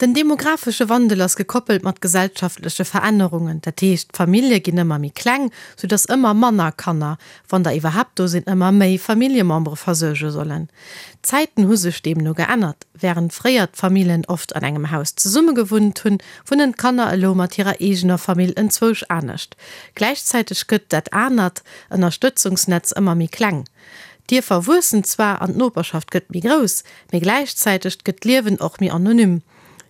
Den demografesche Wandel ass gekoppelt mat gesellschaftleche Verännerungen, dat heescht d'Famillje ginn ëmmer méi kleng, sou datt ëmmer manner Kanner, wann der iwwerhaapt do sinn, ëmmer méi Familljemembere versuerge sollen. D'Zäiten hu sech deemno geännert. Wärend fréier d'Famillen oft an engem Haus zesumme gewunnt hunn, wunnen d'Kanner elo mat hirer eegener Famill enzwousch anescht. Gläichzäiteg gëtt dat anert Ënnerstëtzungsnetz ëmmer méi kleng. D'Dierfer wuessen zwar an d'Noperschaft gëtt méi grouss, mee gläichzäiteg gëtt d'Liewen och méi anonym.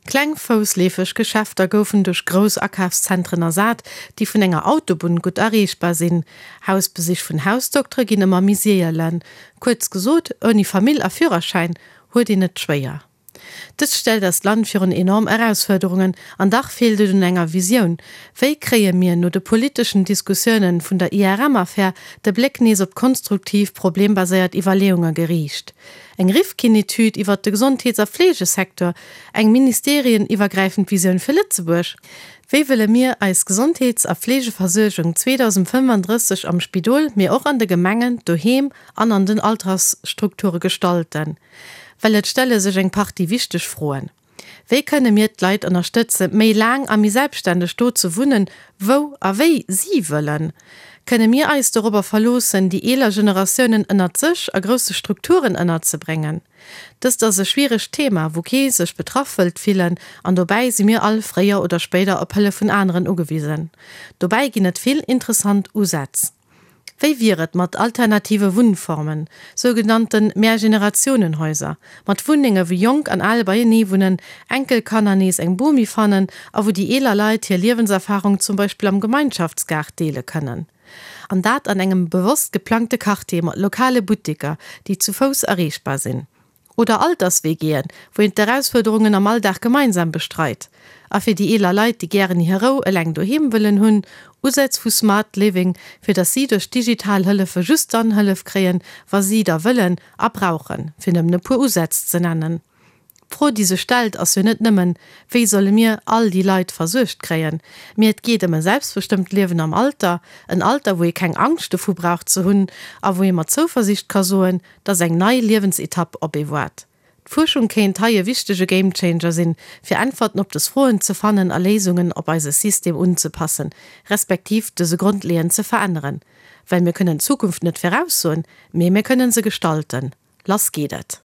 Kleng foussleefeg Geschäfter goufen duerch grouss Akafszentren ersat, déi vun enger Autobunn gutt erreechbar sinn. Hausbesich vun Hausdoktere ginn ëmmer méi sielen. Kuerz gesot, ouni Famill a Führerschäin huet een et schwéier. Dëst stellt eist Land virun enorm Erausfuerderungen, an dach feelt et un enger Visioun. Wéi kréie mir no de politeschen Diskussiounen vun der IRM-Affär de Bléck nees op konstruktiv, problembaséiert Iwwerleeunge geriicht? Eng Rifkin-Etüd iwwert de Gesondheets a Fleegesecteur? Eng ministerieniwwergräifend Visioun fir Lëtzebuerg? Wéi wëlle mir eis Gesondheets a Fleegeversuergung 2035 am Spidol, mee och an de Gemengen, doheem an an den Altersstrukture gestalten? Well et stelle sech eng Partie wichteg Froen. Wéi kënne mir d'Leit ënnerstëtze méi laang a méi selbstständeg do ze wunnen, wou a wéi si wëllen? Kënne mir eis dorobber verloossen, déi eeler Generatiounen ënnert sech a grousse Strukturen ënnerzebréngen? Dëst ass e schwieregt Thema, wou kee sech betraff wëllt fillen, an dobäi si mir all fréier oder spéider op Hëllef vun aneren ugewisen. Dobäi ginn et vill interessant Usätz. Wéi wier et mat alternative Wunnformen, sougenannte Mehrgenerationenhäuser, mat Wunnenge wou Jonk an Al beienee wunnen, Enkelkanner nees eng Bomi fannen a wou déi eeler Leit hir Liewenserfarung zum Beispill am Gemeinschaftsgaart deele kënnen? An dat an engem bewosst geplangte Quartier mat lokale Butteker, déi zu Fouss erreechbar sinn. Oder Alters-WGen, wou een d'Erausfuerderungen am Alldag gemeinsam bestreit. A fir déi eeler Leit, déi gären hir Rou eleng doheem wëllen hunn, Usätz vu Smart Living, fir datt si duerch digital Hëllefe just dann Hëllef kréien, wa si der wëllen a brauchen, fir nëmmen e puer Usätz ze nennen. D'Fro, déi sech stellt, ass jo net nëmmen, Wéi solle mir all déi Leit versuergt kréien? Mee et geet ëm e selbstbestëmmt Liewen am Alter, en Alter, wou ee keng Angscht dovu brauch ze hunn a wou ee mat Zouversiicht ka soen, dass eng nei Liewensetapp op ee waart. D'Fuerschung kéint hei e wichtege Gamechanger sinn, fir Äntwerten op des Froen ze fannen a Léisungen op eise System unzepassen, respektiv dëse grondleeënd ze veränneren. Well mir kënnen d'Zukunft net viraussoen, mee mir kënnen se gestalten. Lass geet et!